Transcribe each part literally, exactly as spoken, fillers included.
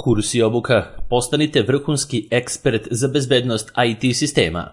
Kurs i obuka. Postanite vrhunski ekspert za bezbednost I T sistema.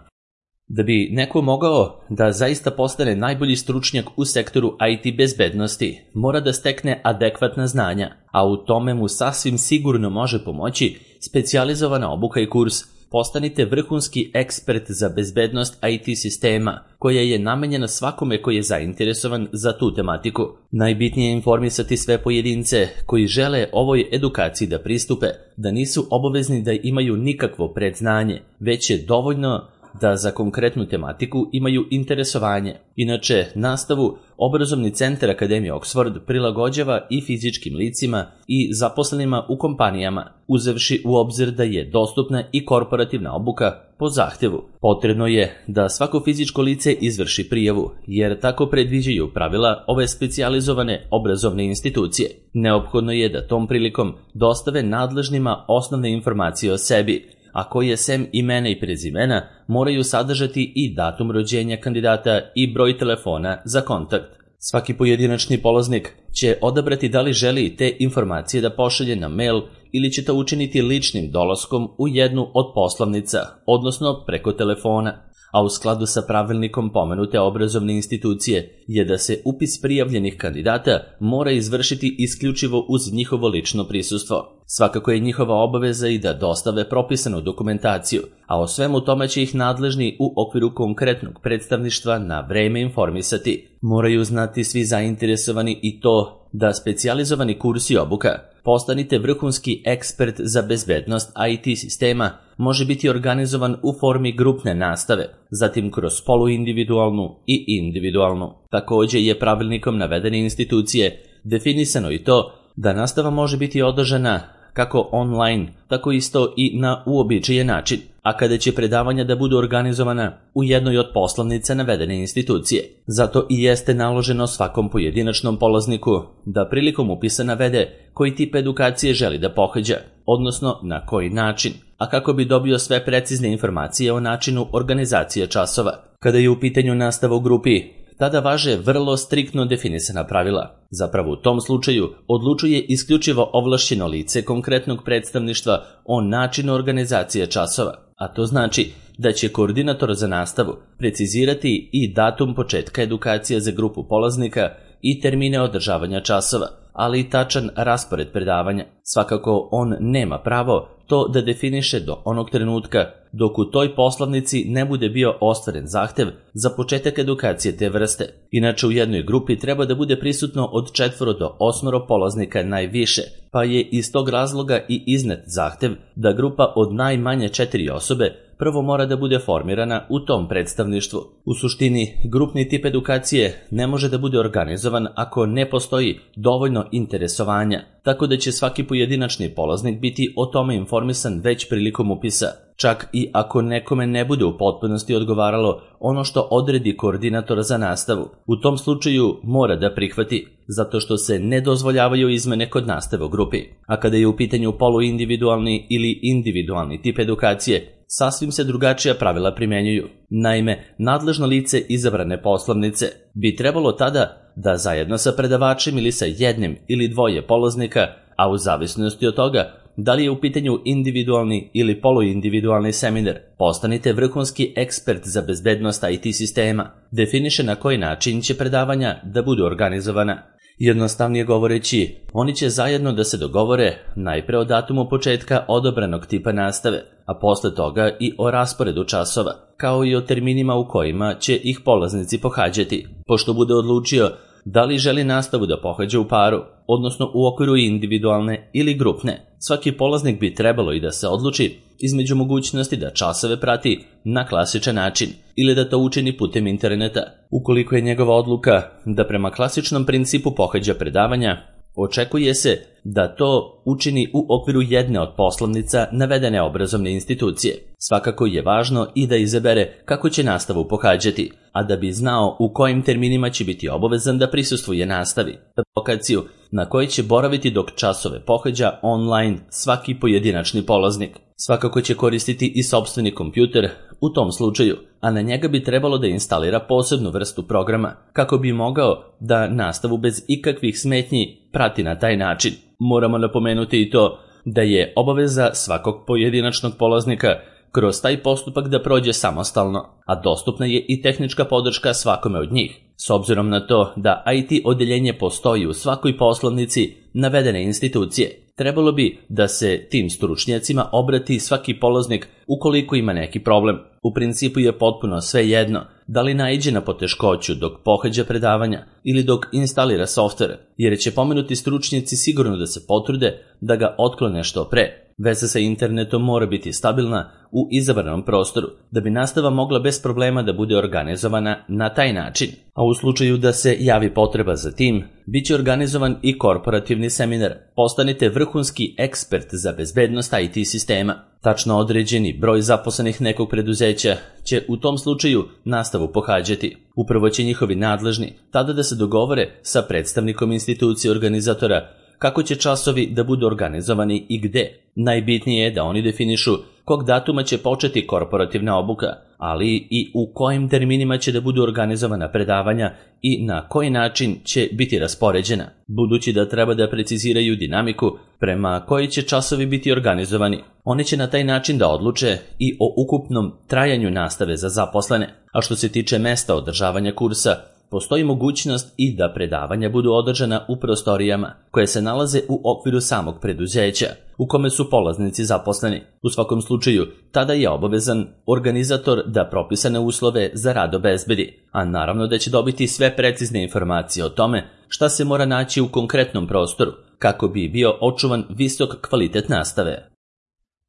Da bi neko mogao da zaista postane najbolji stručnjak u sektoru I T bezbednosti, mora da stekne adekvatna znanja, a u tome mu sasvim sigurno može pomoći specijalizovana obuka i kurs Postanite vrhunski ekspert za bezbednost I T sistema, koja je namenjena svakome koji je zainteresovan za tu tematiku. Najbitnije je informisati sve pojedince koji žele ovoj edukaciji da pristupe, da nisu obavezni da imaju nikakvo predznanje, već je dovoljno da za konkretnu tematiku imaju interesovanje. Inače, nastavu Obrazovni centar Akademije Oxford prilagođava i fizičkim licima i zaposlenima u kompanijama, uzevši u obzir da je dostupna i korporativna obuka po zahtevu. Potrebno je da svako fizičko lice izvrši prijavu, jer tako predviđaju pravila ove specijalizovane obrazovne institucije. Neophodno je da tom prilikom dostave nadležnima osnovne informacije o sebi, a koje sem imena i prezimena moraju sadržati i datum rođenja kandidata i broj telefona za kontakt. Svaki pojedinačni polaznik će odabrati da li želi te informacije da pošalje na mail ili će to učiniti ličnim dolaskom u jednu od poslovnica, odnosno preko telefona. A u skladu sa pravilnikom pomenute obrazovne institucije je da se upis prijavljenih kandidata mora izvršiti isključivo uz njihovo lično prisustvo. Svakako je njihova obaveza i da dostave propisanu dokumentaciju, a o svemu tome će ih nadležni u okviru konkretnog predstavništva na vreme informisati. Moraju znati svi zainteresovani i to da specijalizovani kurs i obuka Postanite vrhunski ekspert za bezbednost I T sistema može biti organizovan u formi grupne nastave, zatim kroz poluindividualnu i individualnu. Takođe je pravilnikom navedene institucije definisano i to da nastava može biti održana kako online, tako isto i na uobičajen način, a kada će predavanja da budu organizovana u jednoj od poslovnica navedene institucije. Zato i jeste naloženo svakom pojedinačnom polazniku da prilikom upisa navede koji tip edukacije želi da pohađa, odnosno na koji način, a kako bi dobio sve precizne informacije o načinu organizacije časova. Kada je u pitanju nastava u grupi, tada važe vrlo striktno definisana pravila. Zapravo u tom slučaju odlučuje isključivo ovlašćeno lice konkretnog predstavništva o načinu organizacije časova, a to znači da će koordinator za nastavu precizirati i datum početka edukacije za grupu polaznika i termine održavanja časova, ali i tačan raspored predavanja. Svakako on nema pravo to da definiše do onog trenutka dok u toj poslovnici ne bude bio ostvaren zahtev za početak edukacije te vrste. Inače, u jednoj grupi treba da bude prisutno od četvoro do osmoro polaznika najviše, pa je iz tog razloga i iznet zahtev da grupa od najmanje četiri osobe prvo mora da bude formirana u tom predstavništvu. U suštini, grupni tip edukacije ne može da bude organizovan ako ne postoji dovoljno interesovanja, tako da će svaki pojedinačni polaznik biti o tome informisan već prilikom upisa, čak i ako nekome ne bude u potpunosti odgovaralo ono što odredi koordinator za nastavu. U tom slučaju mora da prihvati, zato što se ne dozvoljavaju izmene kod nastave u grupi. A kada je u pitanju poluindividualni ili individualni tip edukacije, sasvim se drugačija pravila primenjuju. Naime, nadležno lice izabrane poslovnice bi trebalo tada da zajedno sa predavačem ili sa jednim ili dvoje polaznika, a u zavisnosti od toga da li je u pitanju individualni ili poluindividualni seminar, postanite vrhunski ekspert za bezbednost I T sistema, definiše na koji način će predavanja da budu organizovana. Jednostavnije govoreći, oni će zajedno da se dogovore najpre o datumu početka odobranog tipa nastave, a posle toga i o rasporedu časova, kao i o terminima u kojima će ih polaznici pohađati. Pošto bude odlučio da li želi nastavu da pohađa u paru, odnosno u okviru individualne ili grupne, svaki polaznik bi trebalo i da se odluči između mogućnosti da časove prati na klasičan način ili da to učini putem interneta. Ukoliko je njegova odluka da prema klasičnom principu pohađa predavanja, očekuje se da to učini u okviru jedne od poslovnica navedene obrazovne institucije. Svakako je važno i da izabere kako će nastavu pohađati, a da bi znao u kojim terminima će biti obavezan da prisustvuje nastavi, lokaciju na kojoj će boraviti dok časove pohađa online svaki pojedinačni polaznik. Svakako će koristiti i sopstveni kompjuter u tom slučaju, a na njega bi trebalo da instalira posebnu vrstu programa kako bi mogao da nastavu bez ikakvih smetnji prati na taj način. Moramo napomenuti i to da je obaveza svakog pojedinačnog polaznika kroz taj postupak da prođe samostalno, a dostupna je i tehnička podrška svakome od njih. S obzirom na to da I T odeljenje postoji u svakoj poslovnici navedene institucije, trebalo bi da se tim stručnjacima obrati svaki polaznik ukoliko ima neki problem. U principu je potpuno svejedno da li naiđe na poteškoću dok pohađa predavanja ili dok instalira softver, jer će pomenuti stručnjaci sigurno da se potrude da ga otklone što pre. Veza sa internetom mora biti stabilna u izabranom prostoru, da bi nastava mogla bez problema da bude organizovana na taj način. A u slučaju da se javi potreba za tim, bit će organizovan i korporativni seminar. Postanite vrhunski ekspert za bezbednost I T sistema. Tačno određeni broj zaposlenih nekog preduzeća će u tom slučaju nastavu pohađati. Upravo će njihovi nadležni tada da se dogovore sa predstavnikom institucije organizatora kako će časovi da budu organizovani i gde. Najbitnije je da oni definišu kog datuma će početi korporativna obuka, ali i u kojim terminima će da budu organizovana predavanja i na koji način će biti raspoređena, budući da treba da preciziraju dinamiku prema kojoj će časovi biti organizovani. Oni će na taj način da odluče i o ukupnom trajanju nastave za zaposlene, a što se tiče mesta održavanja kursa, postoji mogućnost i da predavanja budu održana u prostorijama koje se nalaze u okviru samog preduzeća u kome su polaznici zaposleni. U svakom slučaju, tada je obavezan organizator da propisane uslove za rad obezbedi, a naravno da će dobiti sve precizne informacije o tome šta se mora naći u konkretnom prostoru kako bi bio očuvan visok kvalitet nastave.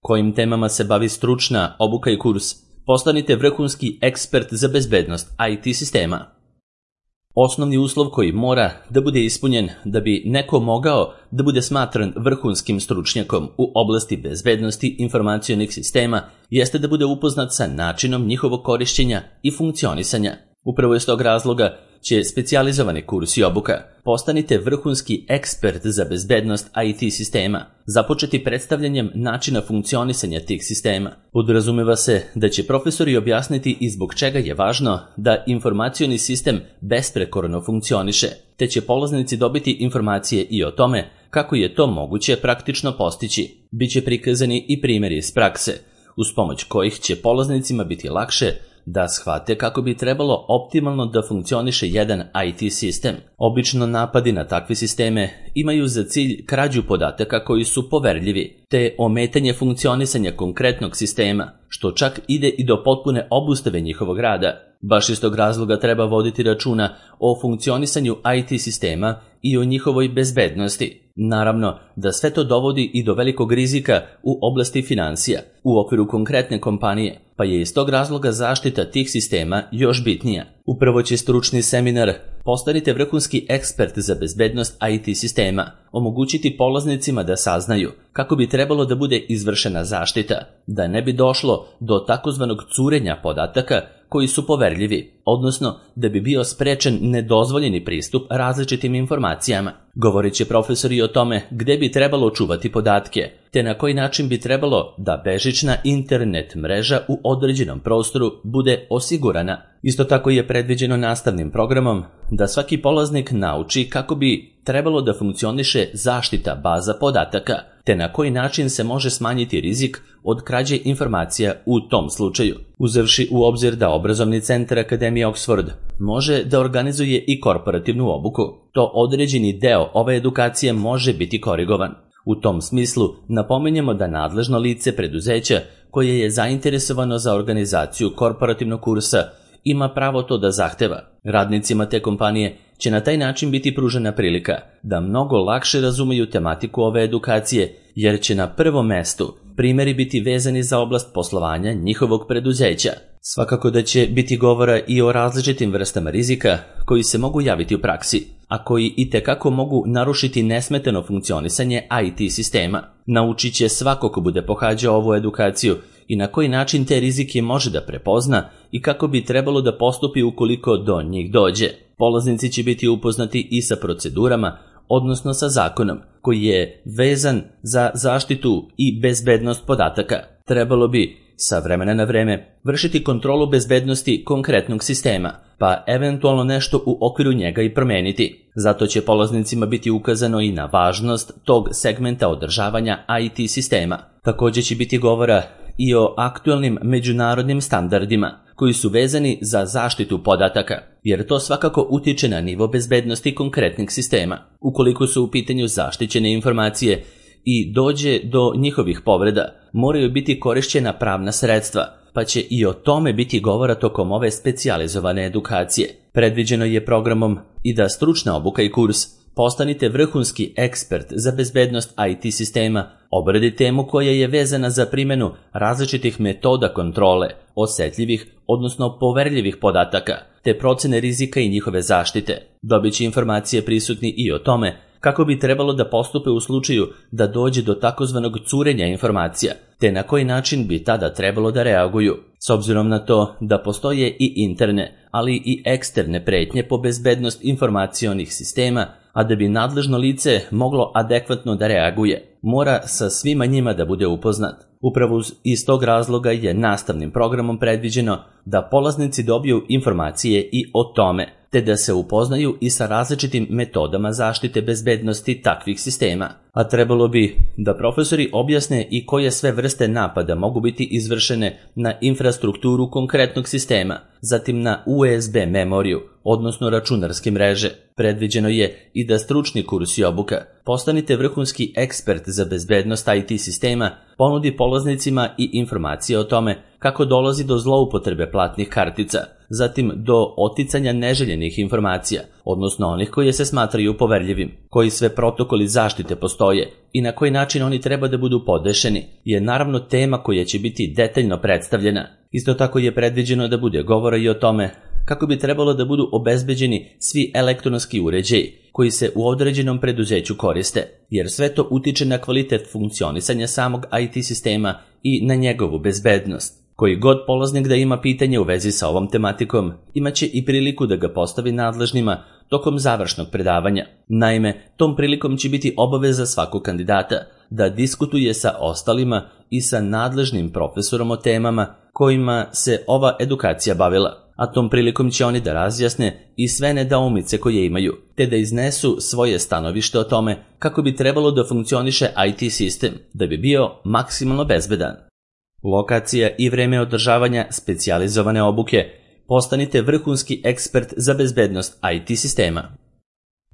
Kojim temama se bavi stručna obuka i kurs? Postanite vrhunski ekspert za bezbednost I T sistema. Osnovni uslov koji mora da bude ispunjen da bi neko mogao da bude smatran vrhunskim stručnjakom u oblasti bezbednosti informacionih sistema jeste da bude upoznat sa načinom njihovog korišćenja i funkcionisanja. Upravo iz tog razloga će specijalizovani kurs i obuka Postanite vrhunski ekspert za bezbednost I T sistema, započeti predstavljanjem načina funkcionisanja tih sistema. Podrazumeva se da će profesori objasniti i zbog čega je važno da informacioni sistem besprekorno funkcioniše, te će polaznici dobiti informacije i o tome kako je to moguće praktično postići. Biće prikazani i primjeri iz prakse, uz pomoć kojih će polaznicima biti lakše da shvate kako bi trebalo optimalno da funkcioniše jedan I T sistem. Obično napadi na takve sisteme imaju za cilj krađu podataka koji su poverljivi, te ometanje funkcionisanja konkretnog sistema, što čak ide i do potpune obustave njihovog rada. Baš iz tog razloga treba voditi računa o funkcionisanju I T sistema i o njihovoj bezbednosti. Naravno da sve to dovodi i do velikog rizika u oblasti financija u okviru konkretne kompanije, pa je iz tog razloga zaštita tih sistema još bitnija. Upravo će stručni seminar Postanite vrhunski ekspert za bezbednost I T sistema omogućiti polaznicima da saznaju kako bi trebalo da bude izvršena zaštita, da ne bi došlo do takozvanog curenja podataka koji su poverljivi, odnosno da bi bio sprečen nedozvoljeni pristup različitim informacijama. Govorit će profesori o tome gde bi trebalo čuvati podatke, te na koji način bi trebalo da bežična internet mreža u određenom prostoru bude osigurana. Isto tako je predviđeno nastavnim programom da svaki polaznik nauči kako bi trebalo da funkcioniše zaštita baza podataka, te na koji način se može smanjiti rizik od krađe informacija u tom slučaju. Uzevši u obzir da obrazovni centar Akademije Oxford može da organizuje i korporativnu obuku, to određeni deo ove edukacije može biti korigovan. U tom smislu napominjemo da nadležno lice preduzeća koje je zainteresovano za organizaciju korporativnog kursa ima pravo to da zahteva. Radnicima te kompanije će na taj način biti pružena prilika da mnogo lakše razumeju tematiku ove edukacije, jer će na prvom mestu primjeri biti vezani za oblast poslovanja njihovog preduzeća. Svakako da će biti govora i o različitim vrstama rizika koji se mogu javiti u praksi, a koji itekako mogu narušiti nesmetano funkcionisanje I T sistema. Naučit će svako ko bude pohađao ovu edukaciju i na koji način te rizike može da prepozna i kako bi trebalo da postupi ukoliko do njih dođe. Polaznici će biti upoznati i sa procedurama, odnosno sa zakonom, koji je vezan za zaštitu i bezbednost podataka. Trebalo bi sa vremena na vreme vršiti kontrolu bezbednosti konkretnog sistema, pa eventualno nešto u okviru njega i promeniti. Zato će polaznicima biti ukazano i na važnost tog segmenta održavanja I T sistema. Također će biti govora i o aktualnim međunarodnim standardima koji su vezani za zaštitu podataka, jer to svakako utiče na nivo bezbednosti konkretnih sistema. Ukoliko su u pitanju zaštićene informacije i dođe do njihovih povreda, moraju biti korišćena pravna sredstva, pa će i o tome biti govora tokom ove specijalizovane edukacije. Predviđeno je programom i da stručna obuka i kurs Postanite vrhunski ekspert za bezbednost I T sistema obradi temu koja je vezana za primjenu različitih metoda kontrole, osjetljivih, odnosno poverljivih podataka, te procene rizika i njihove zaštite. Dobit će informacije prisutni i o tome kako bi trebalo da postupe u slučaju da dođe do takozvanog curenja informacija, te na koji način bi tada trebalo da reaguju. S obzirom na to da postoje i interne, ali i eksterne pretnje po bezbednost informacionih sistema, a da bi nadležno lice moglo adekvatno da reaguje, mora sa svima njima da bude upoznat. Upravo iz tog razloga je nastavnim programom predviđeno da polaznici dobiju informacije i o tome, te da se upoznaju i sa različitim metodama zaštite bezbednosti takvih sistema. A trebalo bi da profesori objasne i koje sve vrste napada mogu biti izvršene na infrastrukturu konkretnog sistema, zatim na U S B memoriju, odnosno računarske mreže. Predviđeno je i da stručni kurs i obuka Postanite vrhunski ekspert za bezbednost I T sistema ponudi polaznicima i informacije o tome kako dolazi do zloupotrebe platnih kartica, zatim do oticanja neželjenih informacija, odnosno onih koje se smatraju poverljivim, koji sve protokoli zaštite postoje i na koji način oni treba da budu podešeni, je naravno tema koja će biti detaljno predstavljena. Isto tako je predviđeno da bude govora i o tome kako bi trebalo da budu obezbeđeni svi elektronski uređaji koji se u određenom preduzeću koriste, jer sve to utiče na kvalitet funkcionisanja samog I T sistema i na njegovu bezbednost. Koji god polaznik da ima pitanje u vezi sa ovom tematikom, imaće i priliku da ga postavi nadležnima tokom završnog predavanja. Naime, tom prilikom će biti obaveza svakog kandidata da diskutuje sa ostalima i sa nadležnim profesorom o temama kojima se ova edukacija bavila, a tom prilikom će oni da razjasne i sve nedoumice koje imaju, te da iznesu svoje stanovište o tome kako bi trebalo da funkcioniše I T sistem, da bi bio maksimalno bezbedan. Lokacija i vreme održavanja specijalizovane obuke Postanite vrhunski ekspert za bezbednost I T sistema.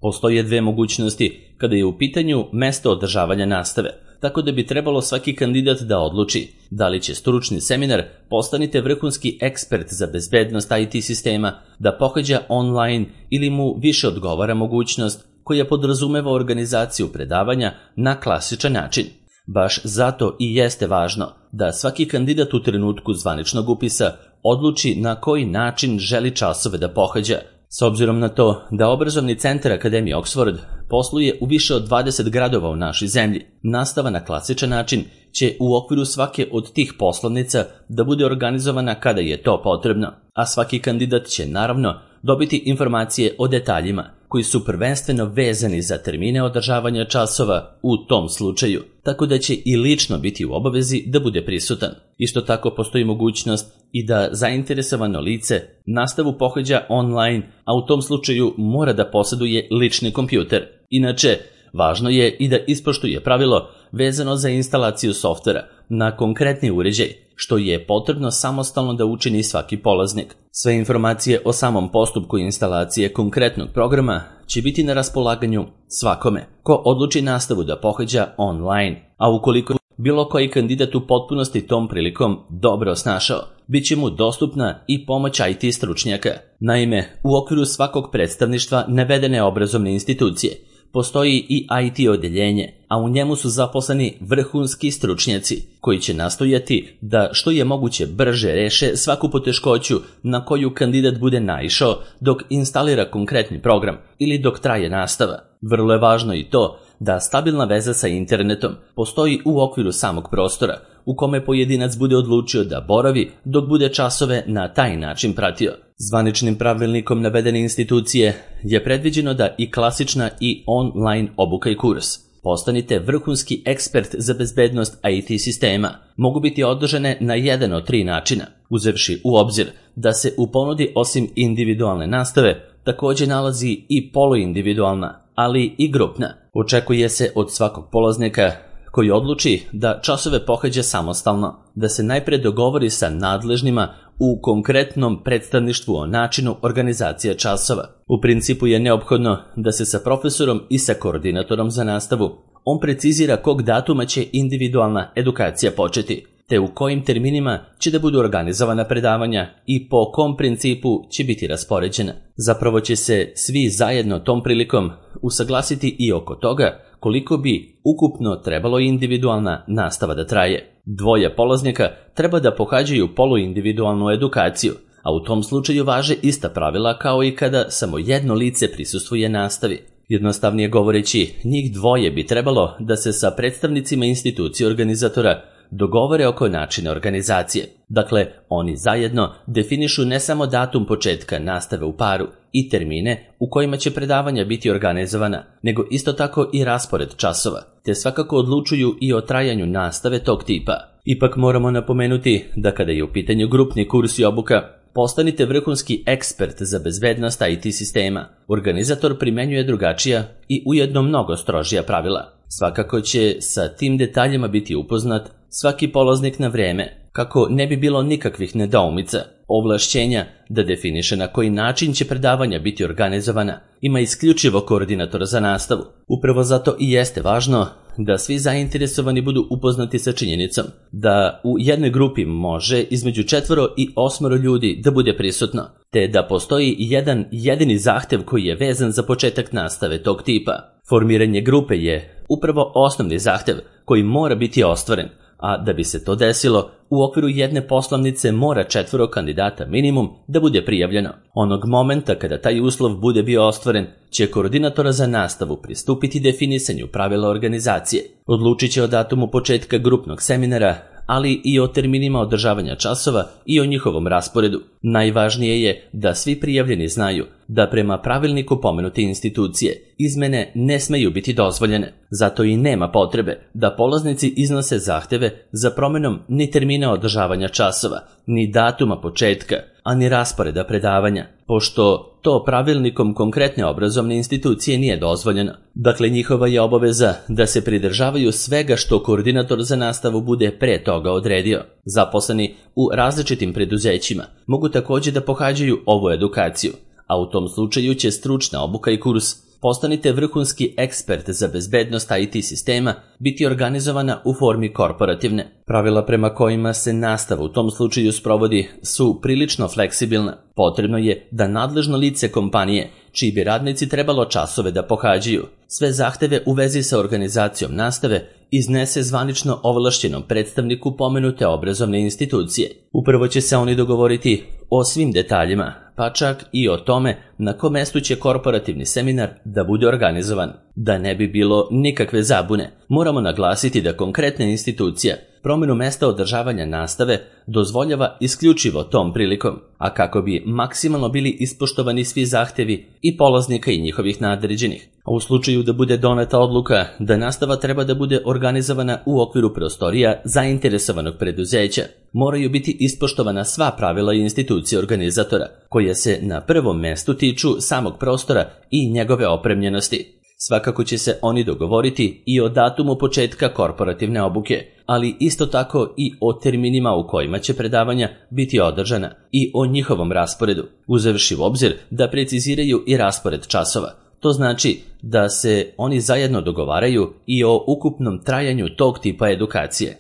Postoje dve mogućnosti kada je u pitanju mesto održavanja nastave, tako da bi trebalo svaki kandidat da odluči da li će stručni seminar Postanite vrhunski ekspert za bezbednost I T sistema da pohađa online ili mu više odgovara mogućnost koja podrazumeva organizaciju predavanja na klasičan način. Baš zato i jeste važno da svaki kandidat u trenutku zvaničnog upisa odluči na koji način želi časove da pohađa. S obzirom na to da obrazovni centar Akademije Oxford posluje u više od dvadeset gradova u našoj zemlji, nastava na klasičan način će u okviru svake od tih poslovnica da bude organizovana kada je to potrebno, a svaki kandidat će naravno dobiti informacije o detaljima koji su prvenstveno vezani za termine održavanja časova u tom slučaju, tako da će i lično biti u obavezi da bude prisutan. Isto tako postoji mogućnost i da zainteresovano lice nastavu pohađa online, a u tom slučaju mora da posjeduje lični kompjuter. Inače, važno je i da ispoštuje pravilo vezano za instalaciju softvera na konkretni uređaj, što je potrebno samostalno da učini svaki polaznik. Sve informacije o samom postupku instalacije konkretnog programa će biti na raspolaganju svakome ko odluči nastavu da pohađa online, a ukoliko bilo koji kandidat u potpunosti tom prilikom dobro snašao, bit će mu dostupna i pomoć I T stručnjaka. Naime, u okviru svakog predstavništva navedene obrazovne institucije postoji i I T odeljenje, a u njemu su zaposleni vrhunski stručnjaci koji će nastojati da što je moguće brže reše svaku poteškoću na koju kandidat bude naišao dok instalira konkretni program ili dok traje nastava. Vrlo je važno i to da stabilna veza sa internetom postoji u okviru samog prostora u kome pojedinac bude odlučio da boravi dok bude časove na taj način pratio. Zvaničnim pravilnikom navedene institucije je predviđeno da i klasična i online obuka i kurs Postanite vrhunski ekspert za bezbednost I T sistema mogu biti održane na jedan od tri načina. Uzevši u obzir da se u ponudi osim individualne nastave također nalazi i poluindividualna, ali i grupna. Očekuje se od svakog polaznika koji odluči da časove pohađa samostalno, da se najpre dogovori sa nadležnima u konkretnom predstavništvu o načinu organizacije časova. U principu je neophodno da se sa profesorom i sa koordinatorom za nastavu on precizira kog datuma će individualna edukacija početi, te u kojim terminima će da budu organizovana predavanja i po kom principu će biti raspoređena. Zapravo će se svi zajedno tom prilikom usaglasiti i oko toga koliko bi ukupno trebalo individualna nastava da traje. Dvoje polaznika treba da pohađaju poluindividualnu edukaciju, a u tom slučaju važe ista pravila kao i kada samo jedno lice prisustvuje nastavi. Jednostavnije govoreći, njih dvoje bi trebalo da se sa predstavnicima institucije organizatora dogovore oko načina organizacije. Dakle, oni zajedno definišu ne samo datum početka nastave u paru i termine u kojima će predavanja biti organizovana, nego isto tako i raspored časova, te svakako odlučuju i o trajanju nastave tog tipa. Ipak moramo napomenuti da kada je u pitanju grupni kurs i obuka, postanite vrhunski ekspert za bezbednost I T sistema. Organizator primenjuje drugačija i ujedno mnogo strožija pravila. Svakako će sa tim detaljima biti upoznat svaki polaznik na vreme, kako ne bi bilo nikakvih nedoumica. Ovlašćenja da definiše na koji način će predavanja biti organizovana ima isključivo koordinator za nastavu. Upravo zato i jeste važno da svi zainteresovani budu upoznati sa činjenicom da u jednoj grupi može između četvoro i osmoro ljudi da bude prisutno, te da postoji jedan jedini zahtev koji je vezan za početak nastave tog tipa. Formiranje grupe je upravo osnovni zahtev koji mora biti ostvaren, a da bi se to desilo, u okviru jedne poslovnice mora četvoro kandidata minimum da bude prijavljeno. Onog momenta kada taj uslov bude bio ostvaren, će koordinatora za nastavu pristupiti definisanju pravila organizacije. Odlučit će o datumu početka grupnog seminara, ali i o terminima održavanja časova i o njihovom rasporedu. Najvažnije je da svi prijavljeni znaju da prema pravilniku pomenute institucije izmene ne smeju biti dozvoljene. Zato i nema potrebe da polaznici iznose zahteve za promenom ni termina održavanja časova, ni datuma početka, a ni rasporeda predavanja, pošto to pravilnikom konkretne obrazovne institucije nije dozvoljeno. Dakle, njihova je obaveza da se pridržavaju svega što koordinator za nastavu bude pre toga odredio. Zaposleni u različitim preduzećima mogu također da pohađaju ovu edukaciju, a u tom slučaju će stručna obuka i kurs Postanite vrhunski ekspert za bezbednost I T sistema biti organizovana u formi korporativne. Pravila prema kojima se nastava u tom slučaju sprovodi su prilično fleksibilna. Potrebno je da nadležno lice kompanije, čiji bi radnici trebalo časove da pohađaju, sve zahteve u vezi sa organizacijom nastave iznese zvanično ovlašćenom predstavniku pomenute obrazovne institucije. Upravo će se oni dogovoriti o svim detaljima, pa čak i o tome na kom mestu će korporativni seminar da bude organizovan. Da ne bi bilo nikakve zabune, moramo naglasiti da konkretna institucija promjenu mesta održavanja nastave dozvoljava isključivo tom prilikom, a kako bi maksimalno bili ispoštovani svi zahtevi i polaznika i njihovih nadređenih. A u slučaju da bude doneta odluka da nastava treba da bude organizovana u okviru prostorija zainteresovanog preduzeća, moraju biti ispoštovana sva pravila i institucije organizatora, koje se na prvom mestu tiču samog prostora i njegove opremljenosti. Svakako će se oni dogovoriti i o datumu početka korporativne obuke, ali isto tako i o terminima u kojima će predavanja biti održana i o njihovom rasporedu, uzevši u obzir da preciziraju i raspored časova. To znači da se oni zajedno dogovaraju i o ukupnom trajanju tog tipa edukacije.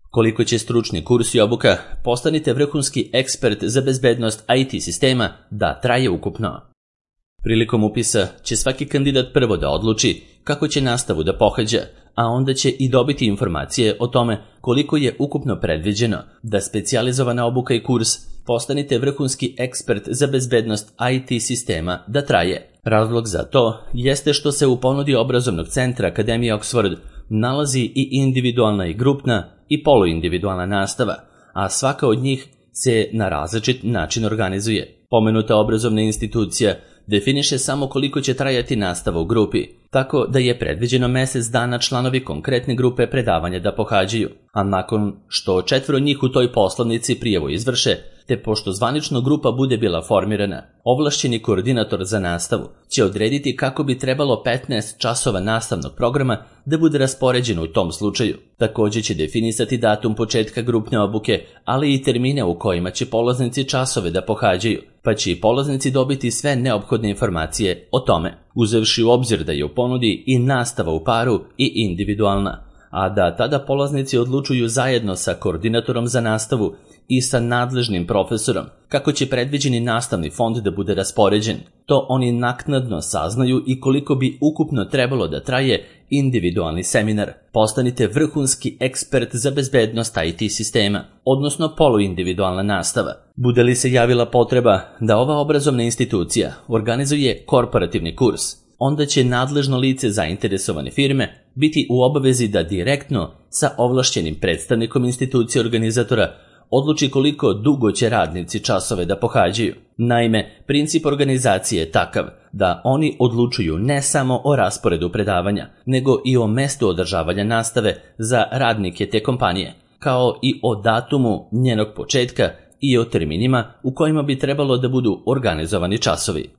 Koliko će stručni kurs i obuka Postanite vrhunski ekspert za bezbednost I T sistema da traje ukupno? Prilikom upisa će svaki kandidat prvo da odluči kako će nastavu da pohađa, a onda će i dobiti informacije o tome koliko je ukupno predviđeno da specijalizovana obuka i kurs Postanite vrhunski ekspert za bezbednost I T sistema da traje. Razlog za to jeste što se u ponudi obrazovnog centra Akademije Oxford nalazi i individualna i grupna i poluindividualna nastava, a svaka od njih se na različit način organizuje. Pomenuta obrazovna institucija definiše samo koliko će trajati nastava u grupi, tako da je predviđeno mjesec dana članovi konkretne grupe predavanja da pohađaju, a nakon što četvoro njih u toj poslovnici prijavu izvrše, te pošto zvanično grupa bude bila formirana, ovlašćeni koordinator za nastavu će odrediti kako bi trebalo petnaest časova nastavnog programa da bude raspoređeno u tom slučaju. Također će definisati datum početka grupne obuke, ali i termine u kojima će polaznici časove da pohađaju, pa će i polaznici dobiti sve neophodne informacije o tome, uzevši u obzir da je u ponudi i nastava u paru i individualna, a da tada polaznici odlučuju zajedno sa koordinatorom za nastavu i sa nadležnim profesorom kako će predviđeni nastavni fond da bude raspoređen. To oni naknadno saznaju i koliko bi ukupno trebalo da traje individualni seminar. Postanite vrhunski ekspert za bezbednost I T sistema, odnosno poluindividualna nastava. Bude li se javila potreba da ova obrazovna institucija organizuje korporativni kurs, onda će nadležno lice zainteresovane firme biti u obavezi da direktno sa ovlašćenim predstavnikom institucije organizatora odluči koliko dugo će radnici časove da pohađaju. Naime, princip organizacije je takav da oni odlučuju ne samo o rasporedu predavanja, nego i o mestu održavanja nastave za radnike te kompanije, kao i o datumu njenog početka i o terminima u kojima bi trebalo da budu organizovani časovi.